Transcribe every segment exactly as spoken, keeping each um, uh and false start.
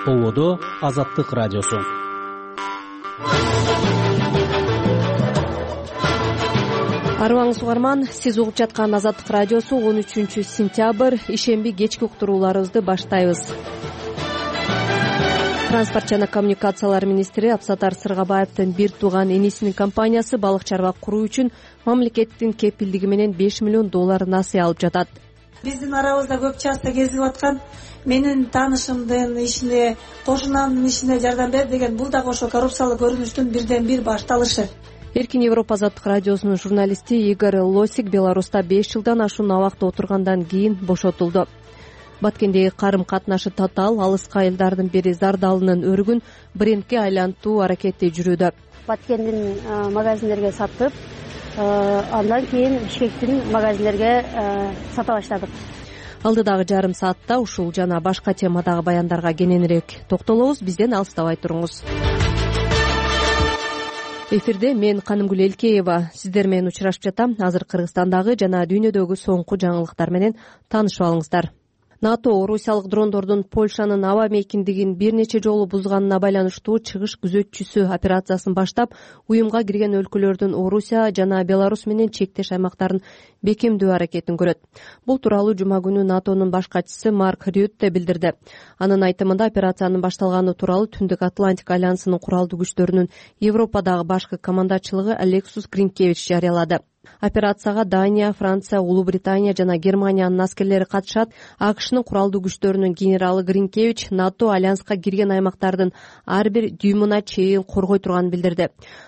Ободо Азаттык радиосу. Арыбаңыз угарман, сиз угуп жаткан Азаттык радиосу он үчүнчү сентябрь ишемби кечки уктурууларыбызды баштайбыз. Транспорт жана коммуникациялар министри Абсатар Сыргабаевдин бир тууган энесинин компаниясы балык чарбак куруу үчүн мамлекеттин кепилдиги менен беш миллион доллар насыя алып жатат. Биздин арабызда көп часто кезигип аткан менин таанышымдын ишине, кошунамдын ишине жардам бер деген бул дагы ошо коррупциялык көрүнүштүн бирден бир башталышы. Эркин Европа азаттык радиосунун журналисти Игорь Лосик Беларуста беш жылдан ашуун абакта отургандан кийин бошотулду. Баткендеги карым катнашы татаал алыска элдардын бири Зардалынын өрүгүн брендке айлантуу аракети жүрүүдө. Баткендин магазиндерге сатып, андан кийин Бишкектин магазиндерге сата баштадык. Алдыдагы жарым саатта ушул жана башка темадагы баяндарга кененирээк токтолобуз. Бизден алыстабай туруңуз. Эфирде мен Канымгүл Элкеева сиздер менен учурашып жатам. Азыр Кыргызстандагы жана дүйнөдөгү соңку жаңылыктар менен таанышып алыңыздар. НАТО орусиялык дрондордун Польшанын аба мейкиндигин бир нече жолу бузганына байланыштуу чыгыш күзөтчүсү операциясын баштап, уюмга кирген өлкөлөрдүн Орусия жана Беларусь менен чектеш аймактарын бекемдөө аракетин көрөт. Бул тууралуу жума күнү НАТОнун баш катчысы Марк Рютте билдирди. Анын айтымында операциянын башталганы тууралуу Түндүк Атлантик альянсынын куралдуу күчтөрүнүн Европадагы башкы командачылыгы Алексус Гринкевич жарыялады. Операцияга Дания, Франция, Улуу Британия жана Германиянын аскерлери катышат. АКШнын куралдуу күчтөрүнүн генералы Гринкевич НАТО альянска кирген аймактардын ар бир дюймуна чейин коргой турганын билдирди.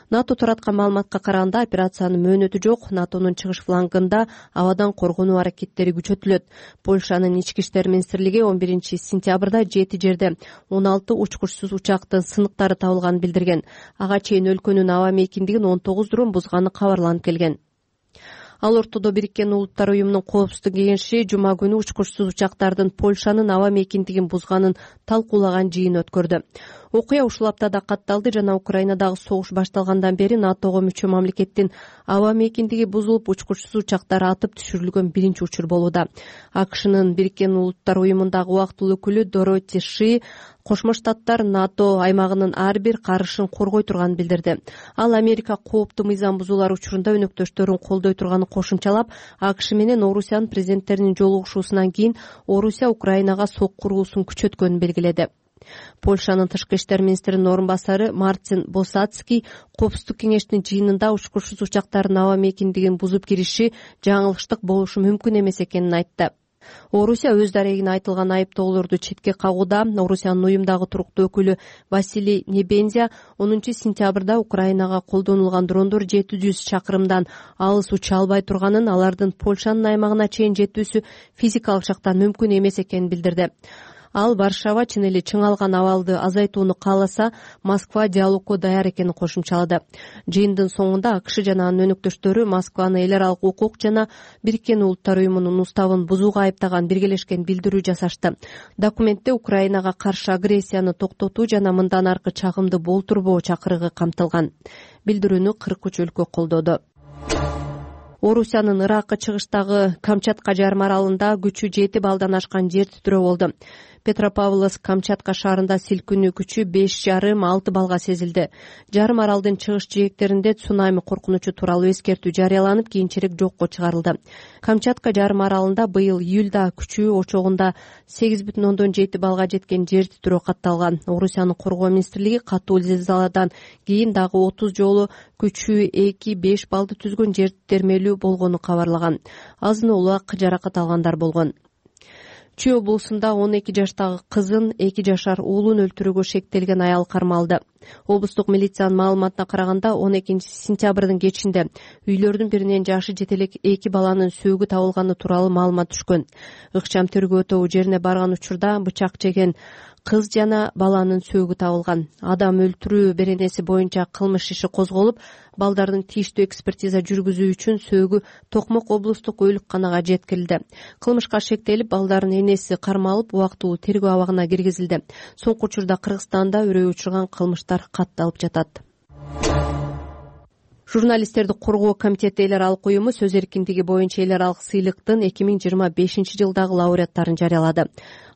НАТО тараткан маалыматка караганда операциянын мөөнөтү жок. НАТОнун чыгыш флангында абадан коргонуу аракеттери күчөтүлөт. Польшанын ички иштер министрлиги он биринчи сентябрда жети жерде он алты учкучсуз учактын сыныктары табылганын билдирген. Ага чейин өлкөнүн аба мейкиндигин он тогуз дрон бузганы кабарланып келген. Ал ортодо Бириккен Улуттар уюмунун коопсуздук кеңеши жума күнү учкучсуз учактардын Польшанын аба мейкиндигин бузганын талкуулаган жыйын өткөрдү. Окуя ушул аптада катталды жана Украинадагы согуш башталгандан бери НАТОго мүчө мамлекеттин аба мейкиндиги бузулуп, учкучсуз учактар атып түшүрүлгөн биринчи учур болууда. АКШнын Бириккен Улуттар уюмундагы убактылуу өкүлү Дороти Ши Кошмо Штаттар НАТО аймагынын ар бир карышын коргой турганын билдирди. Ал Америка кооптуу мыйзам бузуулар учурунда өнөктөштөрүн колдой турганын кошумчалап, АКШ менен Орусиянын президенттеринин жолугушуусунан кийин Орусия Украинага сок куруусун күчөткөнүн белгиледи. Польшанын тышкы иштер министринин орун басары Мартин Босацкий коопсуздук кеңештин жыйынында учкучсуз учактардын аба мейкиндигин бузуп кириши жаңылыштык болушу мүмкүн эмес экенин айтты. Орусия өз дарегине айтылган айыптоолорду четке кагууда. Орусиянын уюмдагы туруктуу өкүлү Василий Небензя онунчу сентябрда Украинага колдонулган дрондор жети жүз чакырымдан алыс уча албай турганын, алардын Польшанын аймагына чейин жетүүсү физикалык жактан мүмкүн эмес экенин билдирди. Ал Варшава чын эле чыңалган абалды азайтууну кааласа, Москва диалогко даяр экенин кошумчалады. Жыйындын соңунда АКШ жана анын өнөктөштөрү Москваны эл аралык укук жана Бириккен Улуттар уюмунун уставын бузууга айыптаган биргелешкен билдирүү жасашты. Документте Украинага каршы агрессияны токтотуу жана мындан аркы чагымды болтурбоо чакырыгы камтылган. Билдирүүнү кырк үч өлкө колдоду. Орусиянын Иракка чыгыштагы Камчатка жарым аралында күчү жети балдан ашкан жер титирөө болду. Петропавловск Камчатка шаарында силкинүү күчү беш жарым алты балга сезилди. Жарым аралдын чыгыш жээктеринде цунами коркунучу тууралуу эскертүү жарыяланып, кийинчерээк жокко чыгарылды. Камчатка жарым аралында быйыл июлда күчүү очогунда сегиз бүтүн ондон жети балга жеткен жер титирөө катталган. Орусиянын коргоо министрлиги катуу зилзаладан кийин дагы отуз жолу күчүү эки беш балды түзгөн жер термелүү болгону кабарлаган. Азын улак жаракат алгандар болгон. Чүй облусунда он эки жаштагы кызын эки жашар уулун өлтүрүүгө шектелген аял кармалды. Облустук милициянын маалыматына караганда он экинчи сентябрдын кечинде үйлөрдүн биринен жашы жете элек эки баланын сөөгү табылганы тууралуу маалымат түшкөн. Ыкчам тергөө тобу жерине барган учурда бычак жеген кыз жана баланын сөөгү табылган. Адам өлтүрүү беренеси боюнча кылмыш иши козголуп, балдардын тийиштүү экспертиза жүргүзүү үчүн сөөгү Токмок облустук өлүкканага жеткирилди. Кылмышка шектелип, балдардын энеси кармалып, убактылуу тергөө абагына киргизилди. Соңку учурда Кыргызстанда үрөй учурган кылмыштар катталып жатат. Журналисттерди коргоо комитети эл аралык уюму сөз эркиндиги боюнча эл аралык сыйлыктын эки миң жыйырма бешинчи жылдагы лауреаттарын жарыялады.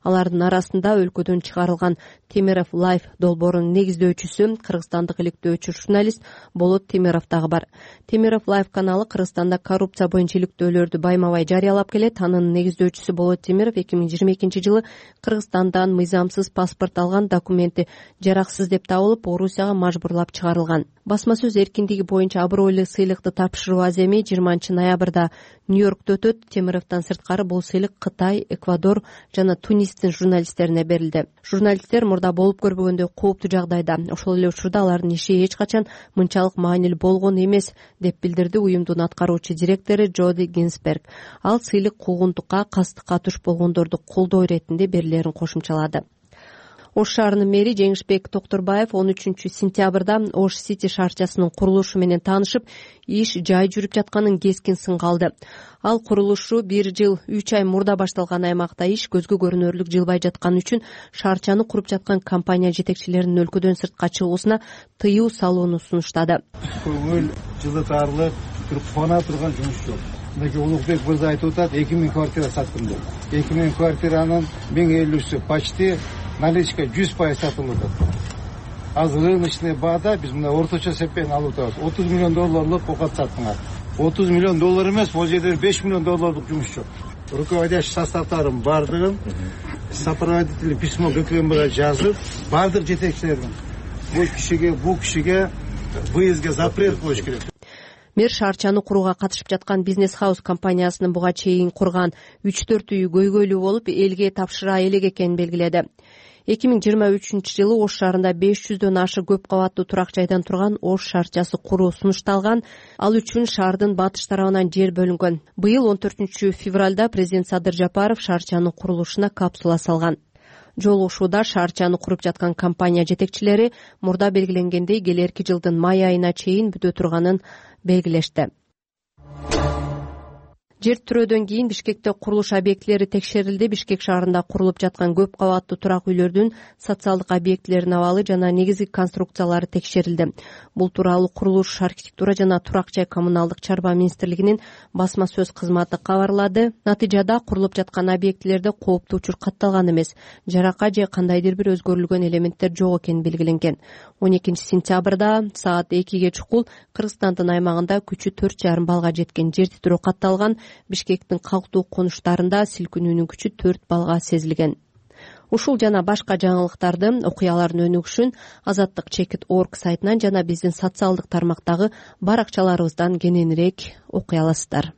Алардын арасында өлкөдөн чыгарылган Темиров Лайф долбоорунун негиздөөчүсү кыргызстандык иликтөөчү журналист Болот Темиров дагы бар. Темиров Лайф каналы Кыргызстанда коррупция боюнча иликтөөлөрдү байма-бай жарыялап келет. Анын негиздөөчүсү Болот Темиров эки миң жыйырма экинчи жылы Кыргызстандан мыйзамсыз паспорт алган, документи жараксыз деп табылып, Орусияга мажбурлап чыгарылган. Басма сөз эркиндиги боюнча абройлуу сыйлыкты тапшыруу аземи жыйырманчы ноябрда Нью-Йоркто өтөт. Темировдон сырткары бул сыйлык Кытай, Эквадор жана Тунистин журналисттерине берилди. Журналисттер мурда болуп көрбөгөндөй кооптуу жагдайда. Ошол эле учурда алардын иши эч качан мынчалык маанилүү болгон эмес, деп билдирди уюмдун аткаруучу директору Джоди Гинсберг. Ал сыйлык куугунтукка, кастыкка туш болгондорду колдоо иретинде берилерин кошумчалады. Ош шаарынын мэри Жеңишбек Токторбаев он үчүнчү сентябрда Ош Сити шаарчасынын курулушу менен таанышып, иш жай жүрүп жатканын кескин сынга алды. Ал курулушу бир жыл үч ай мурда башталган аймакта иш көзгө көрүнөрлүк жылбай жатканы үчүн шаарчаны куруп жаткан компания жетекчилеринин өлкөдөн сыртка чыгуусуна тыюу салууну сунуштады. Көңүл жылытарлык, кубана турган жумуш жок. Мынакей Улукбек мырза айтып атат, эки миң квартира саттым деп. эки миң квартиранын миң элүүсү почти наличка жүз пайыз сатылып атат. Азыр рыночный баада биз мына орточо эсеппен алып атабыз. отуз миллион долларлык окат саттыңар. отуз миллион доллар эмес, бул жерде беш миллион долларлык жумуш жок. Руководящий составдарын бардыгын сопроводительный письмо ГКМБга жазып, бардык жетекчилердин бул кишиге, бул кишиге выездге запрет коюш керек. Мэр шаарчаны курууга катышып жаткан Бизнес Хаус компаниясынын буга чейин курган үч төрт үйү көйгөйлүү болуп, элге тапшыра элек экенин белгиледи. эки миң жыйырма үчүнчү жылы Ош шаарында беш жүздөн ашык көп кабаттуу турак жайдан турган Ош шаарчасы куруу сунушталган. Ал үчүн шаардын батыш тарабынан жер бөлүнгөн. Быйыл он төртүнчү февралда президент Садыр Жапаров шаарчанын курулушуна капсула салган. Жолугушууда шаарчаны куруп жаткан компания жетекчилери мурда белгиленгендей келерки жылдын май айына чейин бүтө турганын белгилешти. Жер түрөөдөн кийин Бишкекте курулуш объектилери текшерилди. Бишкек шаарында курулуп жаткан көп кабаттуу турак үйлөрдүн социалдык объектилеринин абалы жана негизги конструкциялары текшерилди. Бул тууралуу курулуш, архитектура жана турак жай коммуналдык чарба министрлигинин басма сөз кызматы кабарлады. Натыйжада курулуп жаткан объектилерде кооптуу учур катталган эмес, жарака же кандайдыр бир өзгөрүлгөн элементтер жок экени белгиленген. он экинчи сентябрда саат экиге чукул Кыргызстандын аймагында күчү төрт жарым балга жеткен жер титирөө катталган. Бишкектин калктуу конуштарында силкинүүнүн күчү төрт балга сезилген. Ушул жана башка жаңылыктарды, окуялардын өнүгүшүн азаттык чекит точка орг сайтынан жана биздин социалдык тармактагы баракчаларыбыздан кененирээк окуй аласыздар.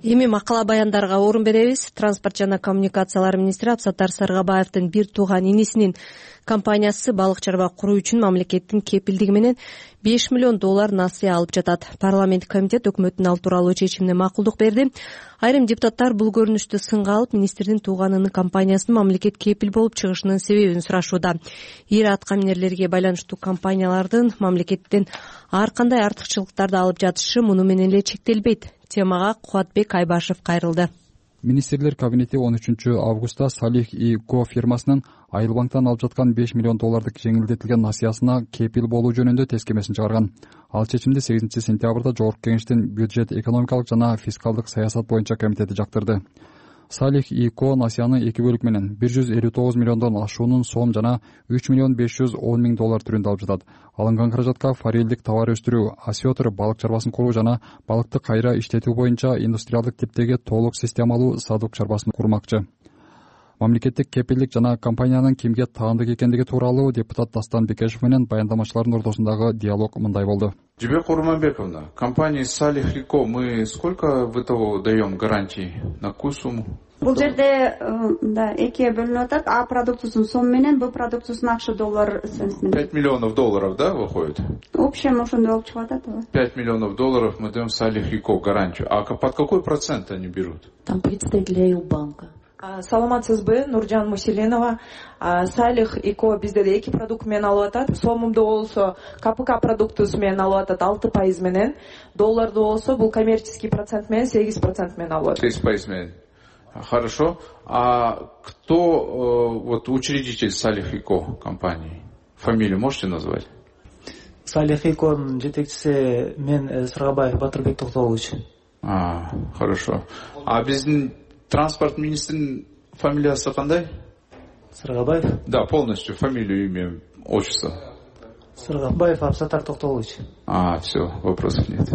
Эми макала баяндарга орун беребиз. Транспорт жана коммуникациялар министри Абсаттар Саргабаевдин бир тууган инисинин компаниясы балык чарба куруу үчүн мамлекеттин кепилдиги менен беш миллион доллар насыя алып жатат. Парламенттик комитет өкмөттүн ал тууралуу чечимине макулдук берди. Айрым депутаттар бул көрүнүштү сынга алып, министрдин тууганынын компаниясынын мамлекет кепил болуп чыгышынын себебин сурашууда. Ири аткаминерлерге байланыштуу компаниялардын мамлекеттен ар кандай артыкчылыктарды алып жатышы муну менен эле чектелбейт. Темага Кубатбек Айбашев кайрылды. Министрлер кабинети он үчүнчү августта Салих и Го фирмасынын Айыл банктан алып жаткан беш миллион доллардык жеңилдетилген насыясына кепил болуу жөнүндө тескемесин чыгарган. Ал чечимди сегизинчи сентябрда Жогорку Кеңештин бюджет, экономикалык жана фискалдык саясат боюнча комитети жактырды. Салих и Ко насыяны эки бөлүк менен бир жүз элүү тогуз миллиондон ашуунун сом жана үч миллион беш жүз он миң доллар түрүндө алып жатат. Алынган каражатка форелдик товар өстүрүү, осетр балык чарбасын куруу жана балыкты кайра иштетүү боюнча индустриалдык типтеги толук системалуу садок чарбасын курмакчы. Мамлекеттик кепилдик жана компаниянын кимге таандык экендиги тууралуу депутат Дастан Бекешев менен баяндамачылардын ортосундагы диалог мындай болду. Жибек Курманбековна, компании Салих и Ко мы сколько в итогу даем гарантии? На какую сумму? Бул жерде да экиге бөлүнүп атат. А продукциясынын сом менен Б продукциясынын акча доллар менен. пять миллионов долларов, да, выходит? Общем, ошондой болуп чыгып атат. пять миллионов долларов мы даем Салих и Ко гарантию. А под какой процент они берут? Там представители банка. Саламатсызбы, Нуржан Муселенова. Салих и Ко бизде эки продукт менен алып атат. Сомумду болсо КПК продуктусу менен алып атат алты пайыз менен. Долларды болсо бул коммерческий процент менен сегиз процент менен алып атат. сегиз пайыз менен. Хорошо. А кто вот учредитель Салих и Ко компании? Фамилию можете назвать? Салих и Конун жетекчиси мен Саргабаев Батырбек Токтогулович. А, хорошо. А биздин транспорт министринин фамилиясы кандай? Сыргабаев. Да, полностью фамилию, имя, отчество. Сыргабаев Абсатар Токтолович. А, все, вопросов нет.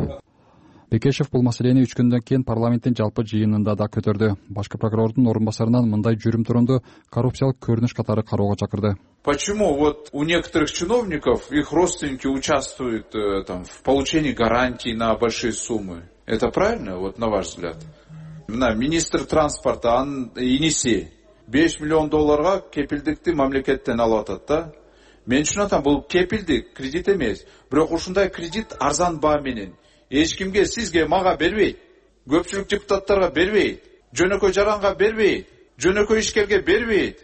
Бекешев бул маселени үч күндөн кийин парламенттин жалпы жыйынында да көтөрдү. Башкы прокурордун орун басарынан мындай жүрүм турунду коррупциялык көрүнүш катары кароого чакырды. Почему вот у некоторых чиновников их родственники участвуют э, там, в получении гарантий на большие суммы? Это правильно, вот на ваш взгляд? Мына министр транспорта Енисей беш миллион долларга кепилдикти мамлекеттен алып атат да. Мен үчүн атам бул кепилдик, кредит эмес. Бирок ушундай кредит арзан баа менен эч кимге, сизге, мага бербейт. Көпчүлүк депутаттарга бербейт. Жөнөкөй жаранга бербейт. Жөнөкөй ишкерге бербейт.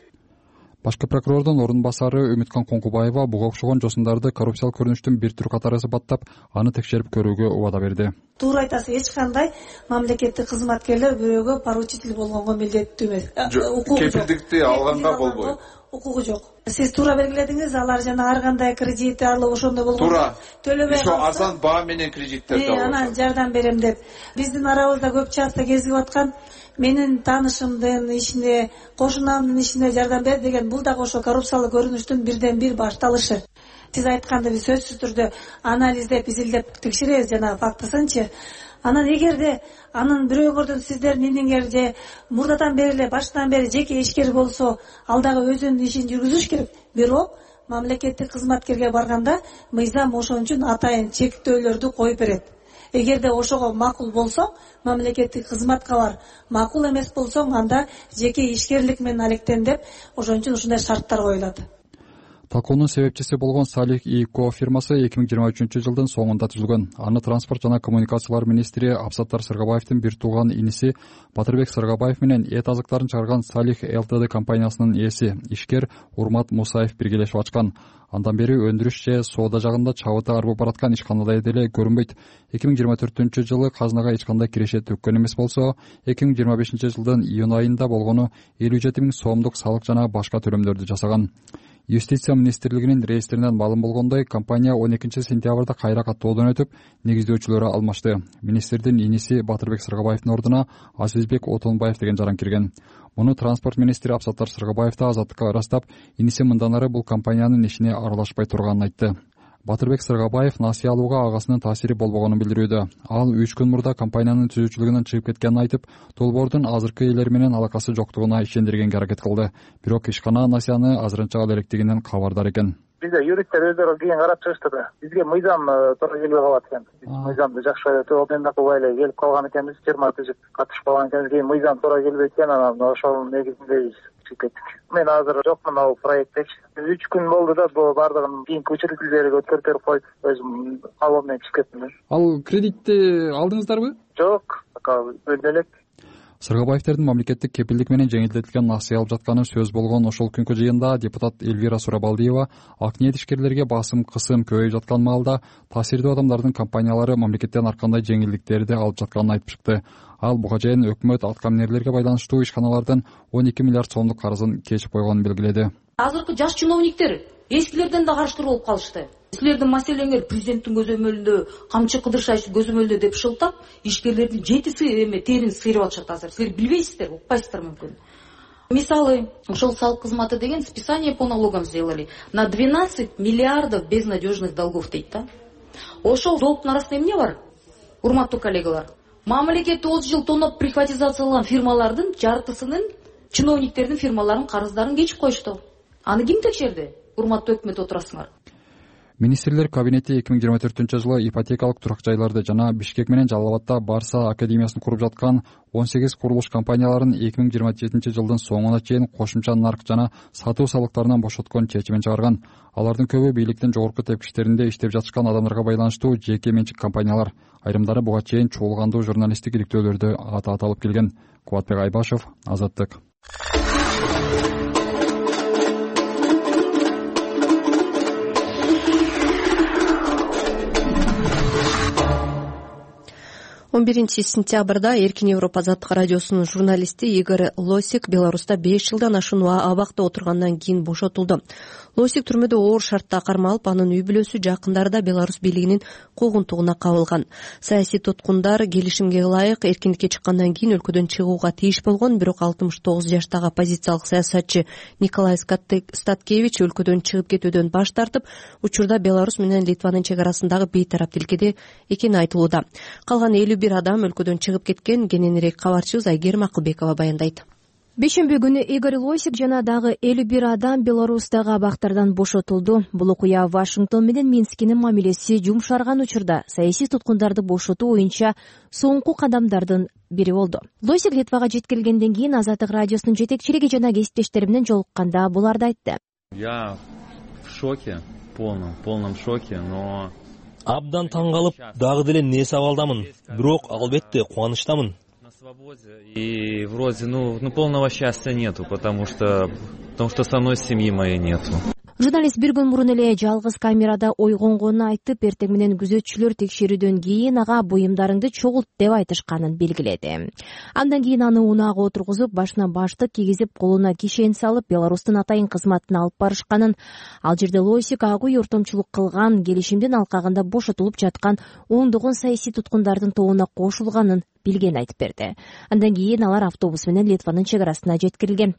Башкы прокурордун орун басары Үмүткан Коңкубаева буга окшогон жосундарды коррупциялык көрүнүштүн бир түрү катары сыпаттап, аны текшерип көрүүгө убада берди. Туура айтасыз, эч кандай мамлекеттик кызматкерлер бирөөгө поручитель болгонго милдеттүү эмес. Кепилдикти алганга болбойт. Укугу жок. Сиз туура белгиледиңиз, алар жана ар кандай кредит алып ошондой болгон. Туура. Төлөбөй калса, арзан баа менен кредиттерди алып. Анан жардам берем деп. Биздин арабызда көп часто кезигип аткан менин таанышымдын ишине, кошунамдын ишине жардам бер деген, бул дагы ошо коррупциялык көрүнүштүн бирден бир башталышы. Сиз айткандай биз сөзсүз түрдө анализдеп, изилдеп текшеребиз жана фактысынчы. Анан эгерде анын бирөөгөрдөн сиздердин иниңер же мурдадан бери эле баштан бери жеке ишкер болсо, ал дагы өзүнүн ишин жүргүзүш керек. Бирок мамлекеттик кызматкерге барганда мыйзам ошон үчүн атайын чектөөлөрдү коюп берет. Эгерде ошого макул болсоң, мамлекеттик кызматка бар. Макул эмес болсоң, анда жеке ишкерлик менен алектен деп, ошон үчүн ушундай шарттар коюлат. Талкуунун себепчиси болгон Салих и Ко фирмасы эки миң жыйырма үчүнчү жылдын соңунда түзүлгөн. Аны транспорт жана коммуникациялар министри Абсаттар Сыргабаевдин бир тууган иниси Батырбек Сыргабаев менен эт азыктарын чыгарган Салих ЛТД компаниясынын ээси ишкер Урмат Мусаев биргелешип ачкан. Андан бери өндүрүш же соода жагында чабыты арбып бараткан ишканада деле көрүнбөйт. эки миң жыйырма төртүнчү жылы казынага эч кандай киреше төккөн эмес болсо, эки миң жыйырма бешинчи жылдын июнь айында болгону элүү жети миң сомдук салык жана башка төлөмдөрдү жасаган. Юстиция министрлигинин реестринен маалым болгондой, компания он экинчи сентябрда кайра каттоодон өтүп, негиздөөчүлөрү алмашты. Министрдин иниси Батырбек Сыргабаевдин ордуна Азизбек Отонбаев деген жаран кирген. Муну транспорт министри Абсаттар Сыргабаев да Азаттыкка ырастап, иниси мындан ары бул компаниянын ишине аралашпай турганын айтты. Батырбек Сыргабаев насыя алууга агасынын таасири болбогонун билдирүүдө. Ал үч күн мурда компаниянын түзүүчүлүгүнөн чыгып кеткенин айтып, долбоордун азыркы ээлери менен алакасы жоктугуна ишендиргенге аракет кылды. Бирок ишкана насыяны азырынча ала элекдигинен кабардар экен. Бизде юристтер өздөрү кийин карап чыгышты да. Бизге мыйзам туура келбей калат экен. Мыйзамды жакшы төбөндөн эле келип калган экенбиз, жыйырма түзүп катышып калган экенбиз. Кийин мыйзам туура келбейт экен, анан ошонун негизинде чыгып кеттик. Мен азыр жокмун ал проекттечи. үч күн болду да бул бардыгын кийинки учредителерге өткөрүп коюп, өзүм алып менен чыгып кеттим. Ал кредитти алдыңыздарбы? Жок, өлдү элек. Сыргабаевдердин мамлекеттик кепилдик менен жеңилдетилген насыя алып жатканы сөз болгон ошол күнкү жыйында депутат Эльвира Сурабалдиева ак ниет ишкерлерге басым кысым көбөйүп жаткан маалда таасирдүү адамдардын компаниялары мамлекеттен ар кандай жеңилдиктерди алып жатканын айтып чыкты. Ал буга чейин өкмөт аткаминерлерге байланыштуу ишканалардын он эки миллиард сомдук карызын кечип койгонун белгиледи. Азыркы жаш чиновниктер эскилерден да карыштыруу болуп калышты. Силердин маселеңер президенттин көзөмөлүндө камчы кыдыршай көзөмөлдө деп шылтап, ишкерлердин жетиси эме терин сыйрып атышат азыр. Силер билбейсиздер, укпайсыздар мүмкүн. Мисалы, ошол салык кызматы деген списание по налогам сделали на двенадцать миллиардов безнадежных долгов дейт да. Ошол долгтун арасында эмне бар? Урматтуу коллегалар, мамлекетти отуз жыл тоноп приватизацияланган фирмалардын жартысынын чиновниктердин фирмаларынын карыздарын кечип коюшту. Аны ким текшерди? Урматтуу өкмөт отурасыңар. Министрлер кабинети эки миң жыйырма төртүнчү жылы ипотекалык турак жайларды жана Бишкек менен Жалал Абадта Барса академиясын куруп жаткан он сегиз курулуш компанияларын эки миң жыйырма жетинчи жылдын соңуна чейин кошумча нарк жана сатуу салыктарынан бошоткон чечимин чыгарган. Алардын көбү бийликтин жогорку тепкичтеринде иштеп жатышкан адамдарга байланыштуу жеке менчик компаниялар. Айрымдары буга чейин чуулгандуу журналисттик иликтөөлөрдө аты аталып келген. Кубатбек Айбашев, Азаттык. он биринчи сентябрда Эркин Европа азаттык радиосунун журналисти Игорь Лосик Беларуста беш жылдан ашуун абакта отургандан кийин бошотулду. Лосик түрмөдө оор шартта кармалып, анын үй бүлөсү жакындары да Беларусь бийлигинин куугунтугуна кабылган. Саясий туткундар келишимге ылайык эркиндикке чыккандан кийин өлкөдөн чыгууга тийиш болгон, бирок алтымыш тогуз жаштагы оппозициялык саясатчы Николай Статкевич өлкөдөн чыгып кетүүдөн баш тартып, учурда Беларусь менен Литванын чек арасындагы бейтарап тилкеде экени айтылууда. Калган элүү бир адам өлкөдөн чыгып кеткен. Кененирээк кабарчыбыз Айгерим Акылбекова баяндайт. Бешембе күнү Игорь Лосик жана дагы элүү бир адам Беларустагы абактардан бошотулду. Бул окуя Вашингтон менен Минскинин мамилеси жумшарган учурда саясий туткундарды бошотуу боюнча соңку кадамдардын бири болду. Лосик Литвага жеткирилгенден кийин Азаттык радиосунун жетекчилиги жана кесиптештери менен жолукканда буларды айтты. Я в шоке, полном, полном шоке, но абдан таң калып, дагы деле не сабалдамын. Бирок албетте кубанычтамын. И вроде, ну, ну полного счастья нету, потому что, потому что со мной семьи моей нету. Журналист бир күн мурун эле жалгыз камерада ойгонгонун айтып, эртең менен күзөтчүлөр текшерүүдөн кийин ага буюмдарыңды чогулт деп айтышканын белгиледи. Андан кийин аны унаага отургузуп, башына баштык кийгизип, колуна кишен салып, Беларустун атайын кызматына алып барышканын, ал жерде Лосик агуй ортомчулук кылган, келишимдин алкагында бошотулуп жаткан ондогон саясий туткундардын тобуна кошулганын билген айтып берди. Андан кийин алар автобус менен Литванын чек арасына жеткирилген.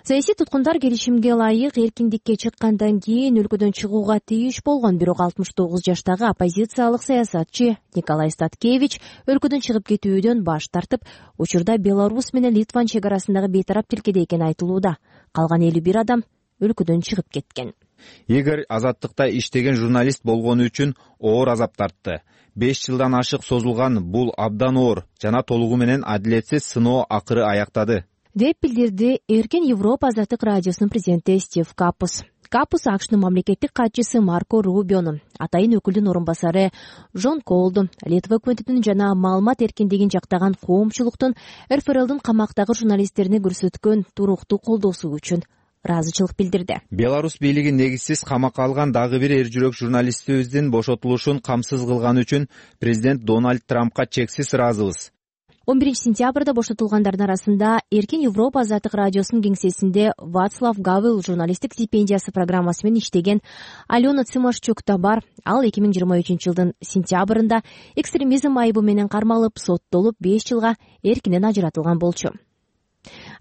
Саясий туткундар келишимге ылайык эркиндикке чыккандан кийин өлкөдөн чыгууга тийиш болгон, бирок алтымыш тогуз жаштагы оппозициялык саясатчы Николай Статкевич өлкөдөн чыгып кетүүдөн баш тартып, учурда Беларусь менен Литван чек арасындагы бейтарап тилкеде экени айтылууда. Калган элүү бир адам өлкөдөн чыгып кеткен. Игорь азаттыкта иштеген журналист болгону үчүн оор азап тартты. беш жылдан ашык созулган бул абдан оор жана толугу менен адилетсиз сыноо акыры аяктады, деп билдирди Эркин Европа азаттык радиосунун президенти Стив Капус. Капус АКШнын мамлекеттик катчысы Марко Рубиону, атайын өкүлдүн орун басары Жон Колду, Литва өкмөтүнүн жана маалымат эркиндигин жактаган коомчулуктун эр эф эр элдин камактагы журналисттерине көрсөткөн туруктуу колдоосу үчүн ыраазычылык билдирди. Беларусь бийлиги негизсиз камакка алган дагы бир эр жүрөк журналистибиздин бошотулушун камсыз кылганы үчүн президент Дональд Трампка чексиз ыраазыбыз. он биринчи сентябрда бошотулгандардын арасында Эркин Европа азаттык радиосунун кеңсесинде Вацлав Гавел журналисттик стипендиясы программасы менен иштеген Алена Цымашчук да бар. Ал эки миң жыйырма үчүнчү жылдын сентябрында экстремизм айыбы менен кармалып, соттолуп беш жылга эркинен ажыратылган болчу.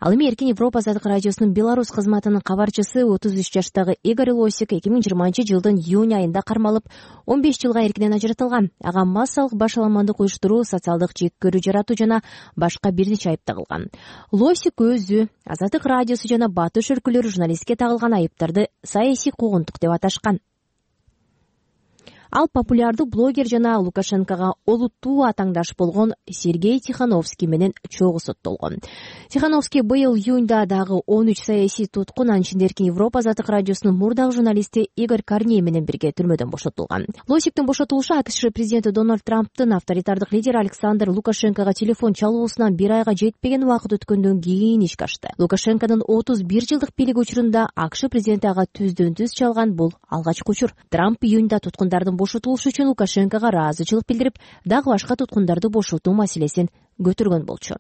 Ал эми Эркин Европа азаттык радиосунун Беларусь кызматынын кабарчысы отуз үч жаштагы Игорь Лосик эки миң жыйырманчы жылдын июнь айында кармалып, он беш жылга эркинен ажыратылган. Ага массалык башаламандык уюштуруу, социалдык жек көрүү жаратуу жана башка бир нече айып тагылган. Лосик өзү Азаттык радиосу жана Батыш өлкөлөрү журналистке тагылган айыптарды саясий куугунтук деп аташкан. Ал популярдуу блогер жана Лукашенкога олуттуу атаңдаш болгон Сергей Тихановский менен чогуу соттолгон. Тихановский быйыл июнда дагы он үч саясий туткун, анын ичинде Эркин Европа азаттык радиосунун мурдагы журналисти Игорь Корней менен бирге түрмөдөн бошотулган. Лосиктин бошотулушу АКШ президенти Дональд Трамптын авторитардык лидери Александр Лукашенкого телефон чалуусунан бир айга жетпеген убакыт өткөндөн кийин ишке ашты. Лукашенконун отуз бир жылдык бийлиги учурунда АКШ президенти ага түздөн түз чалган бул алгачкы учур. Трамп июнда туткундардын бошотулушу үчүн Лукашенкого ыраазычылык билдирип, дагы башка туткундарды бошотуу маселесин көтөргөн болчу.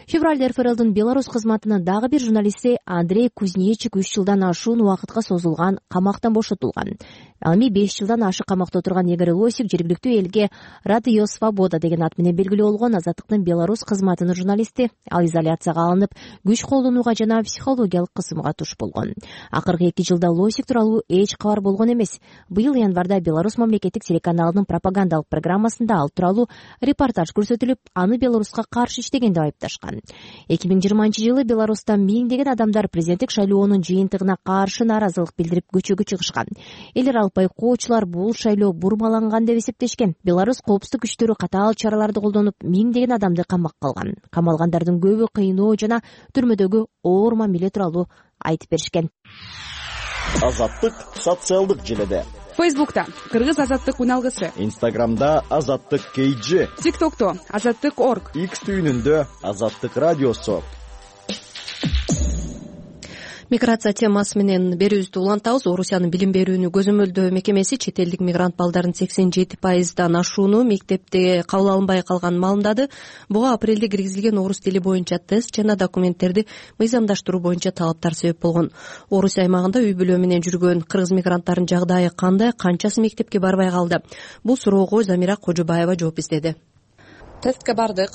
Февралда эр эф эр элдин Беларусь кызматынын дагы бир журналисти Андрей Кузнечик үч жылдан ашуун убакытка созулган камактан бошотулган. Ал эми беш жылдан ашык камакта отурган Игорь Лосик жергиликтүү элге Радио Свобода деген ат менен белгилүү болгон азаттыктын Беларусь кызматынын журналисти. Ал изоляцияга алынып, күч колдонууга жана психологиялык кысымга туш болгон. Акыркы эки жылда Лосик тууралуу эч кабар болгон эмес. Быйыл январда Беларусь мамлекеттик телеканалынын пропагандалык программасында ал тууралуу репортаж көрсөтүлүп, аны Беларуска каршы иштеген деп айыпташкан. эки миң жыйырманчы жылы Беларусьта миңдеген адамдар президенттик шайлоонун жыйынтыгына каршы нааразылык билдирип көчөгө чыгышкан. Элер алып байкоочулар бул шайлоо бурмаланган деп эсептешкен. Беларусь коопсуздук күчтөрү катаал чараларды колдонуп, миңдеген адамды камакка алган. Камалгандардын көбү кыйноо жана түрмөдөгү оор мамиле тууралуу айтып беришкен. Азаттык социалдык желеде. Фейсбукта Кыргыз азаттык уналгысы, Инстаграмда Азаттык Кейджи, ТикТокто Азаттык орг, Икс түйүнүндө Азаттык радиосу. Миграция темасы менен берүүбүздү улантабыз. Орусиянын билим берүүнү көзөмөлдөө мекемеси чет элдик мигрант балдарын сексен жети пайыздан ашууну мектепте кабыл алынбай калганын маалымдады. Буга апрелде киргизилген орус тили боюнча тест жана документтерди мыйзамдаштыруу боюнча талаптар себеп болгон. Орусия аймагында үй бүлө менен жүргөн кыргыз мигранттардын жагдайы кандай, канчасы мектепке барбай калды? Бул суроого Замира Кожобаева жооп издеди. Тестке бардык,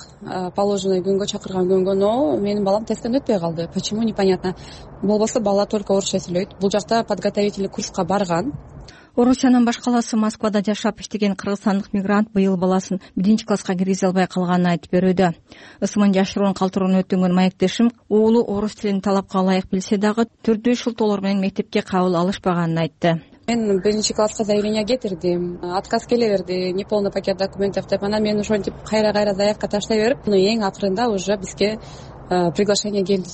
положенный күнгө чакырган күнгө, но менин балам тесттен өтпөй калды. Почему непонятно. Болбосо бала только орусча сүйлөйт. Бул жакта подготовительный курска барган. Орусиянын баш калаасы Москвада жашап иштеген кыргызстандык мигрант быйыл баласын биринчи класска киргизе албай калганын айтып берүүдө. Ысымын жашыруун калтырууну өтүнгөн маектешим уулу орус тилин талапка ылайык билсе дагы түрдүү шылтоолор менен мектепке кабыл алышпаганын айтты. Мен биринчи класска заявление кетирдим, отказ келе берди, неполный пакет документов деп. Анан мен ошентип кайра кайра заявка таштай берип, эң акырында уже бизге приглашение келди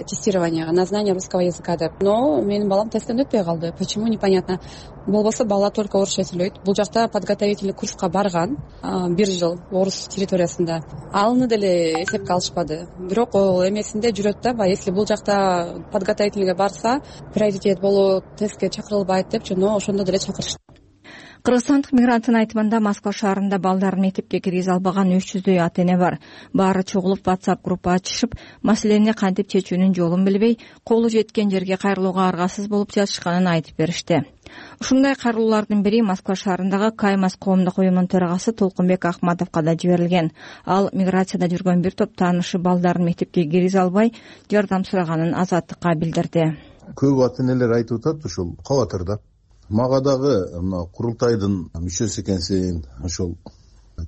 тестированияга на знание русского языка деп. Но менин балам тесттен өтпөй калды. Почему непонятно. Болбосо бала только орусча сүйлөйт. Бул жакта подготовительный курска барган бир жыл орус территориясында. Алыны деле эсепке алышпады. Бирок ол эмесинде жүрөт да, если бул жакта подготовительныйга барса, приоритет болуп тестке чакырылбайт деп, но ошондо деле чакырышты. Кыргызстандык мигранттын айтымында Москва шаарында балдарын мектепке киргизе албаган үч жүздөй ата эне бар. Баары чогулуп WhatsApp группа ачышып, маселени кантип чечүүнүн жолун билбей, колу жеткен жерге кайрылууга аргасыз болуп жатышканын айтып беришти. Ушундай кайрылуулардын бири Москва шаарындагы Каймас коомдук уюмунун төрагасы Толкунбек Ахматовго да жиберилген. Ал миграцияда жүргөн бир топ таанышы балдарын мектепке киргизе албай, жардам сураганын Азаттыкка билдирди. Көп ата энелер айтып атат, ушул кабатырда. Мага дагы мына курултайдын мүчөсү экенсиң, ошол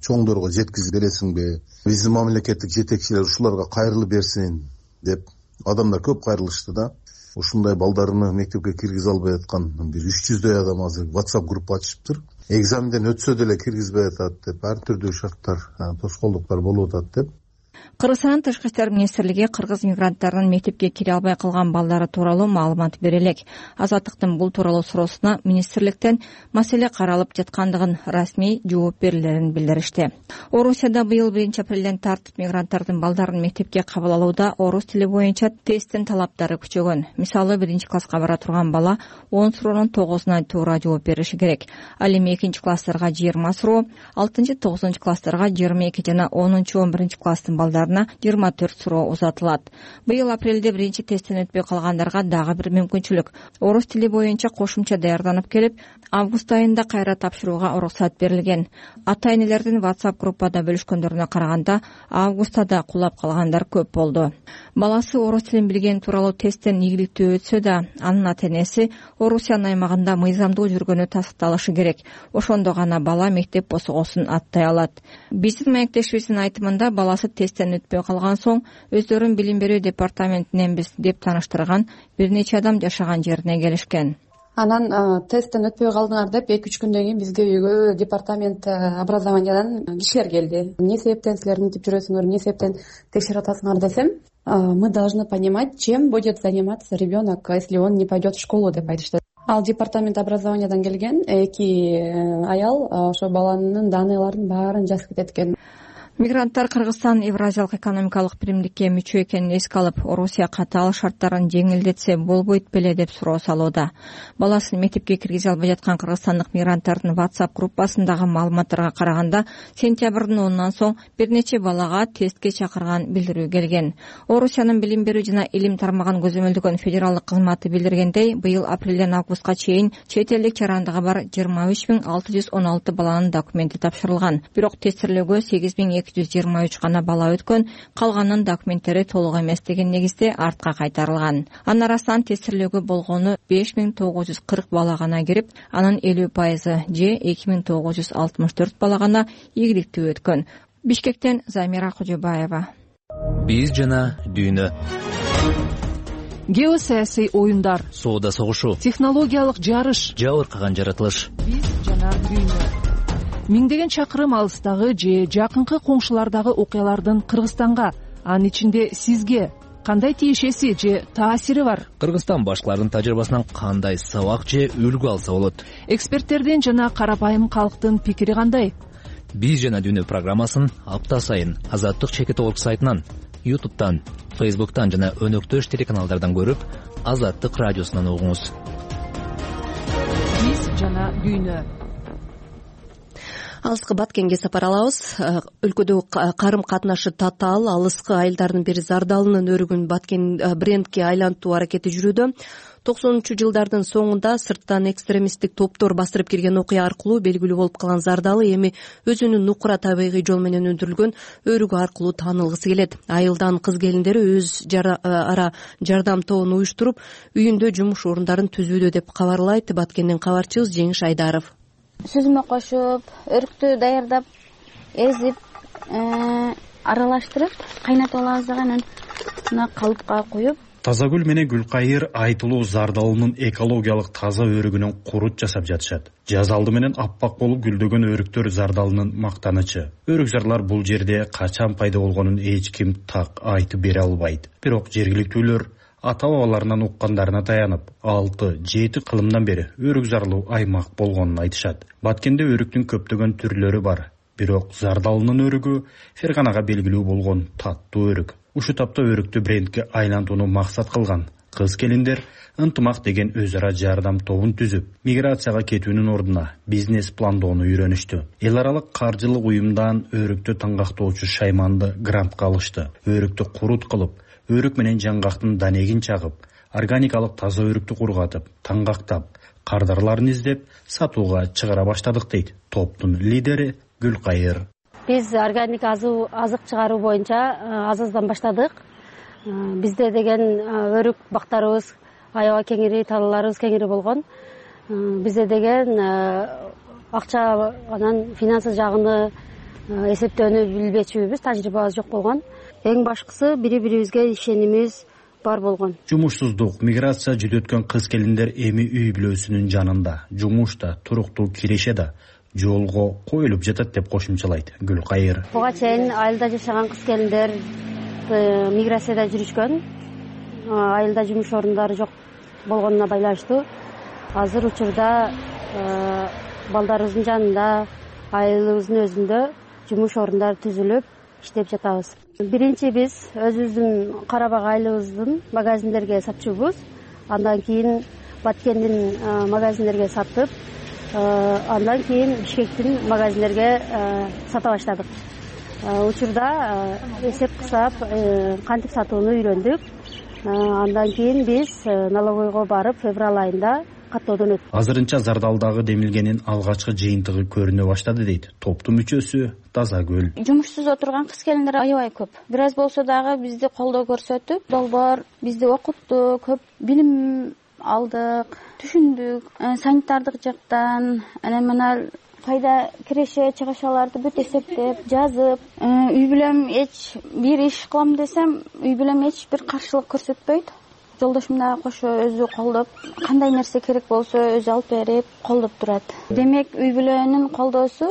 чоңдорго жеткизип бересиңби? Биздин мамлекеттик жетекчилер ушуларга кайрылып берсин деп адамдар көп кайрылышты да. Ушундай балдарыны мектепке киргизе албай аткан бир үч жүздөй адам азыр WhatsApp группа ачышыптыр. Экзаменден өтсө деле киргизбей атат деп, ар түрдүү шарттар, тоскоолдуктар болуп атат деп. Кыргызстандын Тышкы иштер министрлиги кыргыз мигранттарынын мектепке кире албай калган балдары тууралуу маалымат бере элек. Азаттыктын бул тууралуу суроосуна министрликтен маселе каралып жаткандыгын, расмий жооп берилерин билдиришти. Орусияда быйыл биринчи апрелден тартып мигранттардын балдарын мектепке кабыл алууда орус тили боюнча тесттин талаптары күчөгөн. Мисалы, биринчи класска бара турган бала он суроонун тогузуна туура жооп бериши керек. Ал эми экинчи класстарга жыйырма суроо, алтынчы тогузунчу класстарга жыйырма эки жана онунчу он биринчи класстын балдарына жыйырма төрт суроо узатылат. Быйыл апрелде биринчи тесттен өтпөй калгандарга дагы бир мүмкүнчүлүк. Орус тили боюнча кошумча даярданып келип, август айында кайра тапшырууга уруксат берилген. Ата энелердин WhatsApp группада бөлүшкөндөрүнө караганда, августта да кулап калгандар көп болду. Баласы орус тилин билген тууралуу тесттен ийгиликтүү өтсө да, анын ата энеси Орусиянын аймагында мыйзамдуу жүргөнү тастыкталышы керек. Ошондо гана бала мектеп босогосун аттай алат. Биздин маектешибиздин айтымында баласы тесттен өтпөй калган соң өздөрүн билим берүү департаментиненбиз деп тааныштырган бир нече адам жашаган жерине келишкен. Анан тесттен өтпөй калдыңар деп эки үч күндөн кийин бизге үйгө департамент образованиядан кишилер келди. Эмне себептен силер мынтип жүрөсүңөр, эмне себептен текшерип атасыңар десем, мы должны понимать, чем будет заниматься ребенок, если он не пойдет в школу деп айтышты. Ал департамент образованиядан келген эки аял ошо баланын даныйларын баарын жазып кетет экен. Мигранттар Кыргызстан Евразиялык экономикалык биримдикке мүчө экенин эске алып, Орусия катаал шарттарын жеңилдетсе болбойт беле деп суроо салууда. Баласын мектепке киргизе албай жаткан кыргызстандык мигранттардын WhatsApp группасындагы маалыматтарга караганда, сентябрдын онунан соң бир нече балага тестке чакырган билдирүү келген. Орусиянын билим берүү жана илим тармагын көзөмөлдөгөн федералдык кызматы билдиргендей, быйыл апрелден августка чейин чет элдик жарандыгы бар жыйырма үч миң алты жүз он алты баланын документи тапшырылган. Бирок тестирлөөгө сегиз миң эки жүз жыйырма үч гана бала өткөн, калганынын документтери толук эмес деген негизде артка кайтарылган. Анын арасынан тестирлөөгө болгону беш миң тогуз жүз кырк бала гана кирип, анын элүү пайызы же эки миң тогуз жүз алтымыш төрт бала гана ийгиликтүү өткөн. Бишкектен Замира Кожобаева. Биз жана дүйнө. Геосаясий оюндар, соода согушу, технологиялык жарыш, жабыркаган жаратылыш. Биз жана дүйнө. Миңдеген чакырым алыстагы же жакынкы коңшулардагы окуялардын Кыргызстанга, анын ичинде сизге кандай тиешеси же таасири бар? Кыргызстан башкалардын тажрыйбасынан кандай сабак же үлгү алса болот? Эксперттердин жана карапайым калктын пикири кандай? Биз жана дүйнө программасын апта сайын Азаттык чекит орг сайтынан, YouTube'тан, Facebook'тан жана өнөктөш телеканалдардан көрүп, Азаттык радиосунан угуңуз. Биз жана дүйнө. Алыскы Баткенге сапар алабыз. Өлкөдөгү карым катнашы татаал алыскы айылдардын бири Зардалынын өрүгүн Баткен брендке айлантуу аракети жүрүүдө. токсонунчу жылдардын соңунда сырттан экстремисттик топтор бастырып кирген окуя аркылуу белгилүү болуп калган Зардалы эми өзүнүн нукура табигый жол менен өндүрүлгөн өрүгү аркылуу таанылгысы келет. Айылдан кыз келиндери өз ара жардам тобун уюштуруп, үйүндө жумуш орундарын түзүүдө деп кабарлайт Баткенден кабарчыбыз Жеңиш Айдаров. Сүзмө кошуп, өрүктү даярдап, эзип, аралаштырып, кайнатып алабыз дагы анан мына калыпка куюп. Тазагүл менен Гүлкайыр айтылуу Зардалынын экологиялык таза өрүгүнөн курут жасап жатышат. Жаз алды менен аппак болуп гүлдөгөн өрүктөр Зардалынын мактанычы. Өрүкзарлар бул жерде качан пайда болгонун эч ким так айтып бере албайт. Бирок жергиликтүүлөр ата-бабаларынан уккандарына таянып, алты жети кылымдан бери өрүкзарлуу аймак болгонун айтышат. Баткенде өрүктүн көптөгөн түрлөрү бар. Бирок Зардалынын өрүгү Ферганага белгилүү болгон таттуу өрүк. Ушу тапта өрүктү брендке айлантууну максат кылган кыз келиндер ынтымак деген өз ара жардам тобун түзүп, миграцияга кетүүнүн ордуна бизнес пландоону үйрөнүштү. Эл аралык каржылык уюмдан өрүктү таңгактоочу Шайманды грантка алышты. Өрүктү курут кылып, өрүк менен жаңгактын данегин чагып, органикалык таза өрүктү кургатып, таңгактап, кардарларын издеп, сатууга чыгара баштадык дейт топтун лидери Гүлкайыр. Биз органик азык чыгаруу боюнча аз аздан баштадык. Бизде деген өрүк бактарыбыз аябай кеңири, талааларыбыз кеңири болгон. Бизде деген акча анан финансы жагыны эсептөөнү билбечүбүз, тажрыйбабыз жок болгон. Эң башкысы бири-бирибизге ишенимибиз бар болгон. Жумушсуздук, миграция жүдөткөн кыз келиндер эми үй бүлөсүнүн жанында, жумушта, туруктуу киреше да жолго коюлуп жатат деп кошумчалайт Гүлкайыр. Буга чейин айылда жашаган кыз келиндер миграцияда жүрүшкөн. Айылда жумуш орундары жок болгонуна байланыштуу азыр учурда балдарыбыздын жанында, айылыбыздын өзүндө жумуш орундары түзүлүп иштеп жатабыз. Биринчи биз өзүбүздүн Карабак айылыбыздын магазиндерге сатчубуз. Андан кийин Баткендин магазиндерге сатып, андан кийин Бишкектин магазиндерге сата баштадык. Учурда эсеп кысап, кантип сатууну үйрөндүк. Андан кийин биз налоговойго барып, февраль айында каттоодон өттүк. Азырынча Зардалдагы демилгенин алгачкы жыйынтыгы көрүнө баштады дейт топтун мүчөсү Тазагүл. Жумушсуз отурган кыз келиндер аябай көп. Бир аз болсо дагы бизди колдоо көрсөтүп, долбоор бизди окутту, көп билим алдык, түшүндүк. Санитардык жактан, анан мына кайда киреше, чыгышаларды бүт эсептеп, жазып, үй бүлөм эч бир иш кылам десем, үй бүлөм эч бир каршылык көрсөтпөйт. Жолдошум дагы кошо өзү колдоп, кандай нерсе керек болсо өзү алып берип, колдоп турат. Демек, үй бүлөнүн колдоосу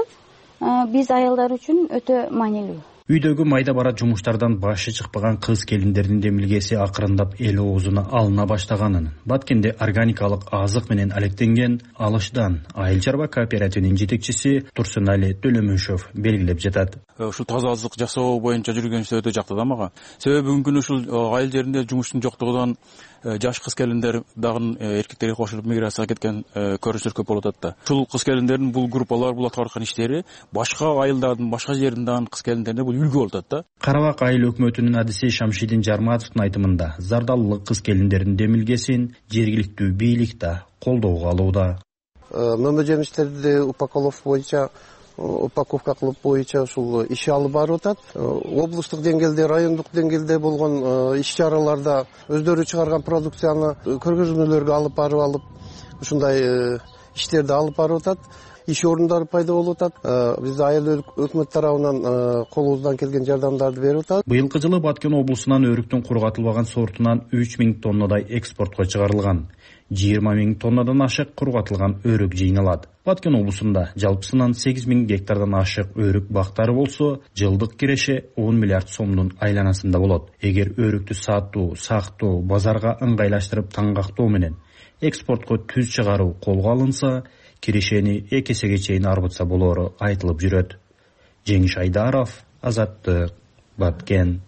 биз айылдар үчүн өтө маанилүү. Үйдөгү майда бара жумуштардан башы чыкпаган кыз келиндердин демилгеси акырындап эл оозуна алына баштаганын, Баткенде органикалык азык менен алектенген Алышдан айыл чарба кооперативинин жетекчиси Турсунали Төлөмүшов белгилеп жатат. Ушул таза азык жасоо боюнча жүргөн иште өтө жакты да мага. Себеби бүгүнкү күнү ушул айыл жеринде жумуштун жоктугунан жаш кыз келиндер дагы эркектерге кошулуп миграцияга кеткен көрүнүштөр көп болуп атат да. Ушул кыз келиндердин бул группалар, бул аткарып аткан иштери башка айылдардын, башка жердин дагы кыз келиндерине бул үлгү болуп атат да. Карабак айыл өкмөтүнүн адиси Шамшидин Жарматовдун айтымында Зардалылык кыз келиндердин демилгесин жергиликтүү бийлик да колдоого алууда. Мөмө жемиштерди упаковка боюнча упаковка кылып боюнча ушул иш алып барып атат. Облустук деңгээлде, райондук деңгээлде болгон иш чараларда өздөрү чыгарган продукцияны көргөзмөлөргө алып барып алып, ушундай иштерди алып барып атат. Иш орундары пайда болуп атат. Биз айыл өкмөт тарабынан колубуздан келген жардамдарды берип атат. Быйылкы жылы Баткен облусунан өрүктүн кургатылбаган сортунан үч миң тоннадай экспортко чыгарылган. жыйырма миң тоннадан ашык кургатылган өрүк жыйналат. Баткен облусунда жалпысынан сегиз миң гектардан ашык өрүк бактары болсо, жылдык киреше он миллиард сомдун айланасында болот. Эгер өрүктү сатуу, сактоо, базарга ыңгайлаштырып таңгактоо менен экспортко түз чыгаруу колго алынса, кирешени эки эсеге чейин арбытса болоору айтылып жүрөт. Жеңиш Айдаров, Азаттык, Баткен.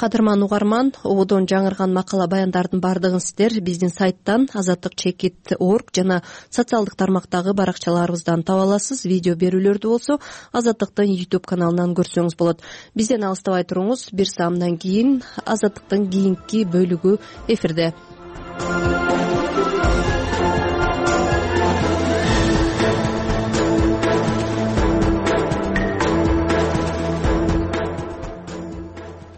кадырман угарман, ободон жаңырган макала баяндардын баардыгын сиздер биздин сайттан азаттык чекит точка орг жана социалдык тармактагы баракчаларыбыздан таба аласыз. Видео берүүлөрдү болсо Азаттыктын YouTube каналынан көрсөңүз болот. Бизден алыстабай туруңуз. Бир саамдан кийин Азаттыктын кийинки бөлүгү эфирде.